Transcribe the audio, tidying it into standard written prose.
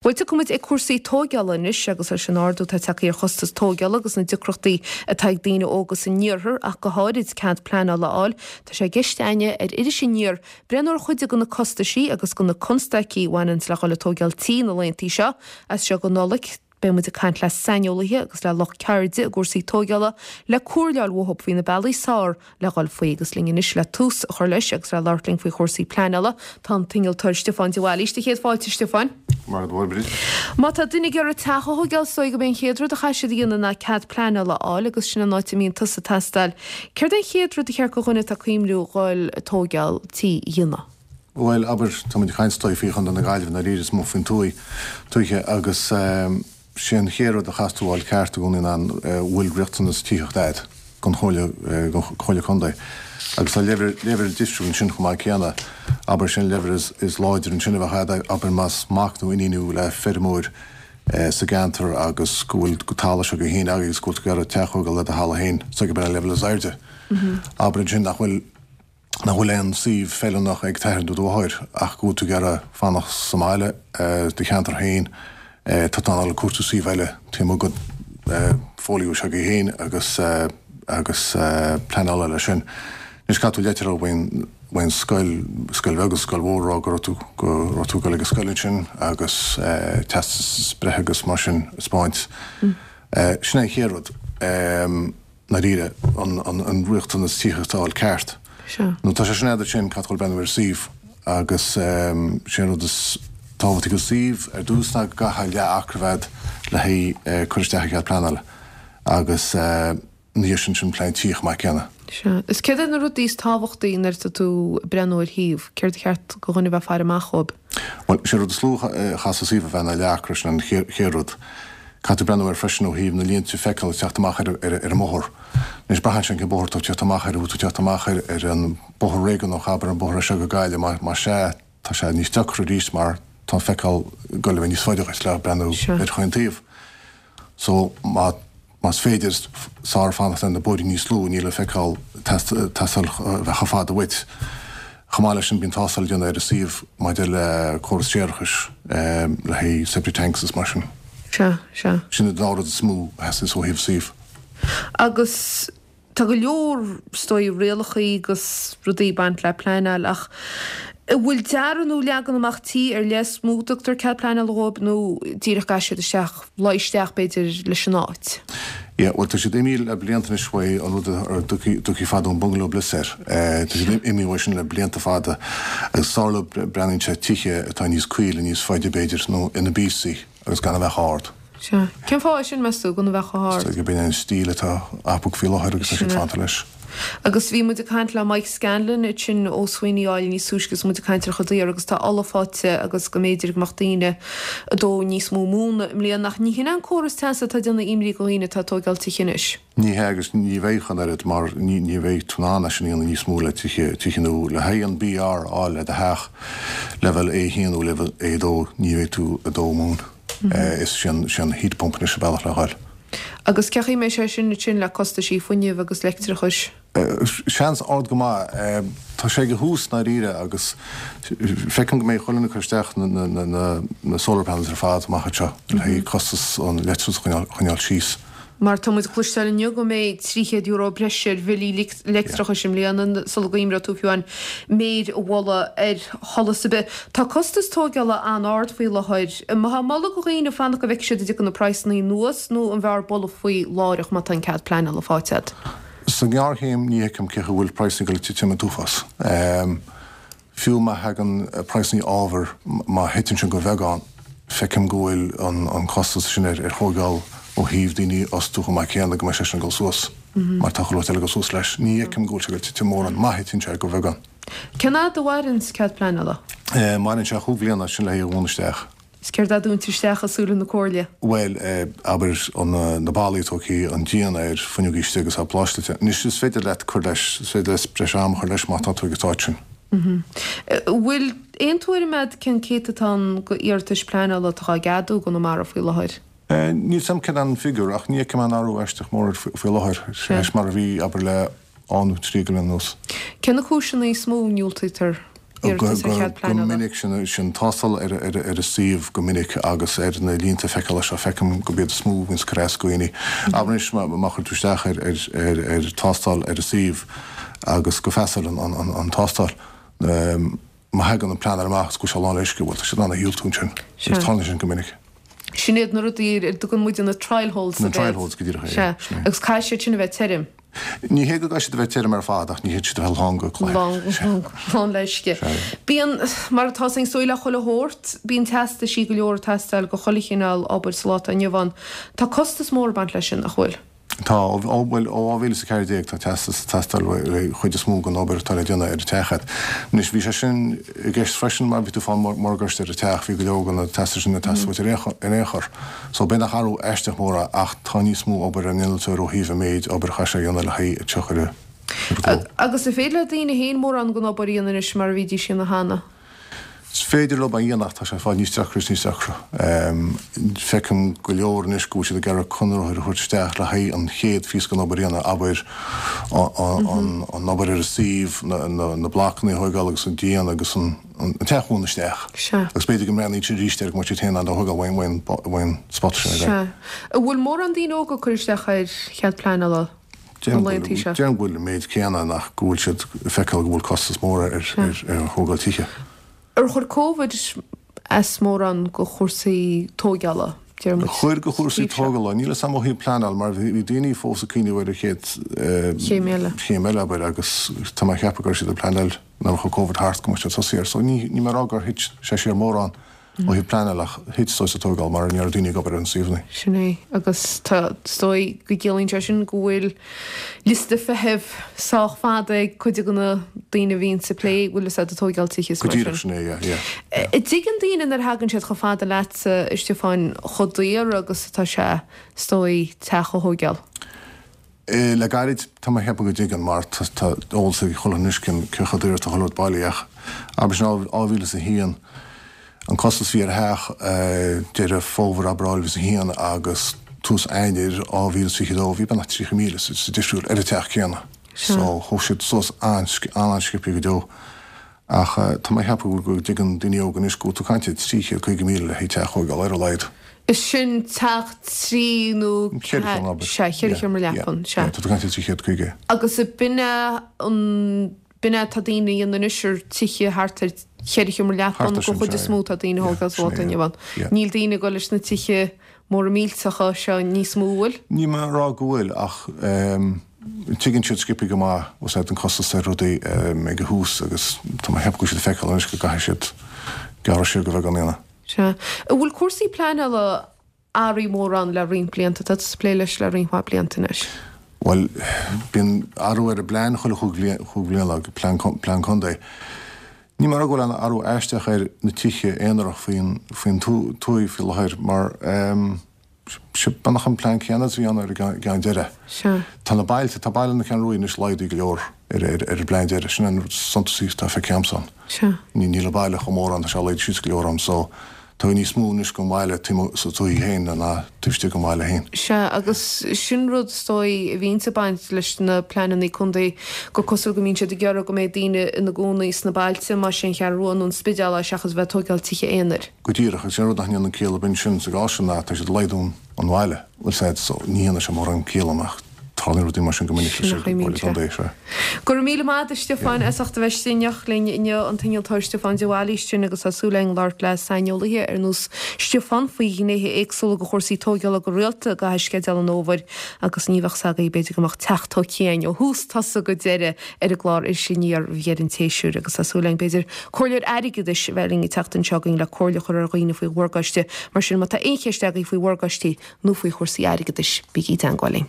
Bhuel, tiocfaidh muid ag cúrsaí tóigeála anois agus leis an ardú atá tagtha ar chostas tóigeála agus na deacrachtaí atá ag daoine óga san iarthar ach go háirid cead pleanála a fháil, tá sé i gceist againne ar Iris Aniar breathnú ar chuid de na costaisí agus de na constaicí a bhaineanns le dhul ag tóigeáil tí na laethanta seo. As seo go Nollaig, beidh muid ag caint le saineolaithe agus le lucht ceirde i gcúrsaí tóigeála le comhairle a fháil uathu faoi na bealaí is fearr le dhul faoi agus linn anois le tús a chur leis agus le labhairt linn faoi chúrsaí pleanála tá an t-innealtóir Stiofán de Bhailís. Céad fáilte, Stiofáin. Maith go leor, Bríd. Má tá duine ag iarraidh teach a thóigeáil is dóigh gurb é an chéad rud a chaithfidh siad a dhéanamh ná cead pleanála a fháil agus sin an áit a mbíonn tusa ag teastáil. Céard é an chéad rud a cheart go dhuine atá ag cuimhniú dhul ag tóigeáil tí a dhéanamh? Bhuel, abair, tá muid ag caint is dóigh faoi Chontae na Gaillimhe i ndáiríre is mó faoin tuaith, tuaithe agus sé an chéad rud a chaithfeas tú a fháil ceart i gcónaí ná an bhfuil riachtanas tithíochta a'd gon Chomhairle, gon Chomhairle Contae. Agus tá leibhéal, leibhéal difriúil ansin chomh maith céanna. Abair, sé an leibhéal is, is láidre ansin a bheadh a'd, abair más mac nó iníon thú le feirmeoir sa gceantar agus go bhfuil talamh s'agaibh féin agaibh agus go bhfuil tú ag iarraidh teach a thógáil le do thalamh féin, so gurb é an leibhéal is airde. Abair ansin nach bhfuil. nach bhfuil aon suíomh feiliúnach ag t'athair nó do mháthair ach go bhfuil tú ag iarraidh fanacht sa mbaile, do cheantar féin, tá tú in ann dul ag cuartú suíomh eile taobh amuigh den folio s'agaibh féin agus agus pleanáil leis sin. Anois caithfidh tú leitir a fháil ón scoil, scoil bheag agus scoil mhór, rá go raibh tú go raibh tú ag dul ag an scoil ansin agus teastas breithe agus mar sin a 'speáint. Sin é an chéad rud. ndáiríre, an riachtanas tithíochta a fháil ceart. Nó tá sé sin a'd ansin caithfidh tú breathnú ar suíomh agus sé an rud is tábhachtaí go suíomh ar dtús ná go gcaithfidh leath acra a bheith a'd le haghaidh cur isteach ar chead pleanála agus ina dhiaidh sin sin plean tí chomh maith céanna. Sea. Is céard iad na rudaí is tábhachtaí nuair atá tú ag breathnú ar shuíomh? Céard a cheart go dhuine a bheith ag faire amach dhóibh? Bhuel, sé rud is lú a chaithfeas an suíomh a bheith ná leath acra, sin an chéad rud. Caithfidh tú breathnú air freisin ó thaobh na línte feiceáil ag teacht amach ar an mbóthar. Anois, braitheann sé cén bóthar atá tú ag teacht amach air, an bhfuil tú ag teacht amach ar an bóthar réigiúnach, abair, an bóthar as seo go Gaillimh, más ea, tá sé níos deacra arís mar tá an feiceáil ag goil a bheith níos faide dhuit le breathnú ar chaon taobh. So, má, más féidir, is fearr fanacht ar na bóithrí níos lú, níl an feiceáil ag teastáil a bheith chomh fada uait. Chomh maith leis sin, bíonn tástáil le déanamh ar an suíomh maidir le córas séarachais, le haghaidh septic tanks is mar sin. Sea, sea. Sin an dá rud is mó a theastaíos ó thaobh suímh. Agus tá go leor, is dóigh, rialachaí agus rudaí ag baint le pleanáil ach an bhfuil dearadh nó leagan amach tí ar leith is mó a dtugtar cead pleanála dhóibh nó díreach caithfidh siad isteach, luí isteach b'fhéidir leis an áit? Yeah, bhuel tá siad imithe le blianta anois uaidh an rud a dtugtaí fadó an bungalow bliss air. Tá siad imithe uaidh sin le blianta fada agus is fearr leo breathnaíonn sé tithe atá níos caoile, níos faide b'fhéidir, nó ina bpíosaí agus gan a bheith chomh hard. Sea. Cén fáth é sin, meas tú, gan a bheith chomh hard? Is dóigh gurb in é an stíl atá acu faoi láthair agus tá siad fanta leis. Agus bhí muid ag caint le Mike Scanlon ansin ó Sweeney Oil níos túisce agus muid ag caint ar chuid daor agus tá ola faighte agus go mb'fhéidir go mbeadh daoine ag dó níos mó móna i mbliana ach ní hin é an córas teasa atá ag déanamh imní go dhaoine atá ag tóigeáil tithe anois. Ní hea agus ní bheidh an oiread mar ní bheidh tú in ann é sin a dhéanamh níos mó le tithe, tithe nua. Le haghaidh an BR a fháil le do theach, leibhéal A1 nó leibhéal A2, ní bheidh tú ag dó móin. Is sé an heat pump anois an bealach le dhul. Agus cén chaoi a mbeidh sé sin ansin le costaisí fuinnimh agus leictreachais? Seans ard go maith. Tá sé ag a thús i ndáiríre agus feicim go mbeidh chuile dhuine ag cur isteach na solar panels ar fad amach anseo le haghaidh costas an leictreachais a choinneáil síos. Mar tá muid ag cloisteáil inniu go mbeidh €300 breise ar bhillí leictreachais i mbliana sula gcuimreoidh tú fiú amháin méir a bhualadh ar sholas ar bith. Tá costas tóigeála an-ard faoi láthair. An mbeifeá ag moladh go dhaoine fanacht go bhfeicfidh siad an dtiocfaidh na praghsannaí anuas nó an bhfearr bualadh faoi láithreach má tá an cead pleanála faighte agat? Sa ngearrchéim ní fheicim cén chaoi a bhfuil praghsannaí ag dul ag titim an t-uafás. Fiú má thagann praghsannaí ábhair, má thiteann sin go bheagán, feicim go bhfuil an costas sin ar thóigeáil ó thaobh daoine a fhostú chomh maith céanna, go mbeidh sé sin ag dul suas mar tá chuile shórt eile ag dul suas leis. Ní fheicim go bhfuil sé ag dul titim mórán, má thiteann sé go bheagán. Cén fhad a mhaireann cead pleanála? Maireann sé chúig bhliana, sin le haghaidh a dhúnadh isteach. Is céard é dúntar isteach i súile na Comhairle? Bhuel, abair, na ballaí tógtha, an díon air, fuinneogaí istigh agus á pláisteáilte. Anois, is féidir leat cur leis, is féidir leat breis ama a chur leis má tá tú ag an stáid sin. An bhfuil aon tuairim agat cén céatadán go iarratais pleanála atá á gceadú i gConamara faoi láthair? Níl 's a'm céard an figiúr ach ní fheicim aon athrú aisteach mór air faoi láthair, leis mar a bhí, abair, le dhá nó trí bliana anuas. Cé na cúiseanna is mó a ndiúltaítear? iarratas ar chead Go pleanála? minic, sin tástáil ar an suíomh go minic agus ar na línte feiceála seo feicim gurb iad is mó a bhíonns ag cur as do dhaoine. Abair anois má chuir tú isteach ar tástáil ar an suíomh agus go bpassáil an tástáil, má thagann an pleanáil amach agus go bhfuil sé lán le uisce, bhuel tá siad in ann a dhiúltú ansin agus tarlaíonn sin go minic. Sin iad na rudaí ar a dtugann muide na trial holes Na trial holes, go díreach é, Sea. sin é. Agus caithfidh siad sin a bheith tirim. Ní hé go gcaithfidh siad a bheith tirim ar fad ach ní thig siad a bheith lán go claí. Lán, lán le uisce. Sea. Bíonn, mar atá is dóigh le chuile shórt, bíonn teastaisí go leor ag teastáil go chuile chineál obair sa lá atá inniu ann. Tá costas mór ag baint leis sin, nach bhfuil? Tá, ó, bhuel, ó 2014 tá teastas ag teastáil le chuid is mó den obair atá le déanamh ar an teach agat. Anois, bhí sé sin i gceist freisin mar bhí tú ag fáil morgáiste ar an teach, bhí go leor de na teastais sin ag teastáil uait ar aon chor. So, b'in nach athrú aisteach mór é ach tá níos mó obair ar an innealtóir ó thaobh an méid obair a chaithfidh sé a dhéanamh le haghaidh teach a chur ar gcló. Agus an féidir le daoine féin mórán den obair a dhéanamh anois mar a bhídís a dhéanamh cheana? Is féidir leo é a dhéanamh ach tá sé ag fáil níos deacra is níos deacra. Feicim go leor anois go bhfuil siad ag iarraidh conraitheoir a thabhairt isteach le haghaidh an chéad phíosa den obair a dhéanamh, abair an obair ar an suíomh, na blocanna a thóigeáil agus an díon agus an teach a mhúnlú isteach. Agus b'fhéidir go mbreathnaíonn siad arís air go mbeidh siad féin in ann é a thóigeáil uaidh an spota sin ar aghaidh. Sea. An bhfuil mórán daoine óga ag cur isteach ar chead pleanála? na laethanta seo. Déarfainn go bhfuil an méid céanna ach go bhfuil siad ag feiceáil go bhfuil costas mór ar thógáil tithe. Ar chuir Covid as mórán go chúrsaí tóigeála, deir muid? Chuir go chúrsaí tógála. Níl a fhios agam ó thaobh pleanáil mar bhí daoine fós ag cuimhneamh ar an chéad chéim eile. chéim eile, abair, agus tá mé ag ceapadh go raibh siad ag pleanáil nuair a chuaigh Covid thart go mbeadh siad tosaí air. So ní mé a rá gur thit sé siar mórán. Ó thaobh pleanáil ach thit sa tógáil mar ní raibh daoine ag obair ar na suíomhanna. Sin é. Agus tá, is dóigh go gciallaíonn sé sin go bhfuil liosta feithimh sách fada ag cuid de na daoine a bhíonns ag plé, bhfuil fhios a'd, ag tóigeáil tithe is Go mar díreach, sin. sin é, yeah, yeah, yeah. An dtuigeann daoine nuair a thagann siad chomh fada leatsa, a Stiofáin, chomh daor agus atá sé, is dóigh, teach a thóigeáil? Le gairid, tá mé ag ceapadh go dtuigeann mar tá eolas ag chuile dhuine anois cén chomh daor atá chuile rud bailí ach abair sin 2001 an costas a bhí ar theach Deireadh Fómhair abair 2001 agus tús Eanáir 2022 bhí beagnach 30,000 sa difriúil ar an teach céanna so chuaigh siad suas an-an-sciobtha go deo. Ach tá mé ag ceapadh go dtuigeann daoine óga anois go bhfuil tú ag caint ar 350,000 le haghaidh teach a thóigeáil ar a laghad. Is sin teach trí nó Cheithre sheomra, abair. Sea, cheithre sheomra leapan, sea. Tá tú ag caint ar 350. Agus b'in é an, b'in é atá daoine a dhéanamh anois ar tithe thart ar cheithre sheomra leapan, Thart ar go sin, chuid sea, is mó atá daoine a thógáil sa lá atá inniu ann. Yeah. Níl daoine ag dul leis na tithe móra millteacha seo níos mó, bhfuil? Níl mé ag rá go bhfuil ach tuigeann siad sciobtha go maith úsáid an costas ar rudaí ag an thús agus tá mé ag ceapadh go bhfuil siad ag feiceáil anois go gcaithfidh siad gearradh siar de bheagán a dhéanamh. Sea. An bhfuil cúrsaí pleanála athraithe mórán le roinnt blianta? Tá tusa ag plé leis le roinnt mhaith blianta anois. Bhuel, bíonn athrú ar an bplean chuile chúig bliana, plean plean contae. Níl mé ag rá go bhfuil aon athrú aisteach ar na tithe aonarach faoin faoin tuaith faoi láthair mar sé beagnach an plean céanna is a bhí ann ar an gceann deireadh. Sea. Tá na bailte, tá baile na Ceathrún Rua anois laghdaithe go leor ar ar an bplean deireadh. Sin an rud is suntasaí atá feicthe agamsa ann. Sea. Níl an baile chomh mór ann, tá sé laghdaithe síos go leor ann so tá níos mó anois den bhaile taobh sa tuaith féin ná taobh istigh den bhaile féin. Sea, agus sin rud is dóigh a bhíonns ag baint leis na pleananna contae, gur cosúil go mbíonn siad ag iarraidh go mbeidh daoine ina gcónaí sna bailte, más é an Cheathrú Rua nó an Spidéal é, seachas a bheith ag tóigeáil tithe aonair. Go díreach, agus sin rud nach ndéanann ciall ar bith ansin sa gcás sin ná tá siad ag laghdú an bhaile, bhfuil 's a'd, so ní dhéanann sé mórán ciall ach tarlaíonn rudaí mar sin go minic leis an gComhairle Contae, sea. Go raibh míle maith agat a Stiofáin as ucht a bheith istigh in éineacht linn inniu, an t-innealtóir Stiofán de Bhailís sin agus tá súil againn labhairt le saineolaithe ar nós Stiofán faoi ghnéithe éagsúla de chúrsaí tóigeála go rialta i gcaitheamh sceideal an fhómhair agus ní bheadh 's agaibh b'fhéidir go mbeadh teach tógtha againn ó thús tosaigh go deireadh ar an gclár Iris Aniar roimh dheireadh an tséasúir agus tá súil againn b'fhéidir comhairleoir airgeadais a bheith linn an tseachtain seo chugainn le comhairle a chur ar dhaoine faoi mhorgáiste mar sin má tá aon cheist agaibh faoi mhorgáistí nó faoi chúrsaí airgeadais bígí i dteangmháil linn.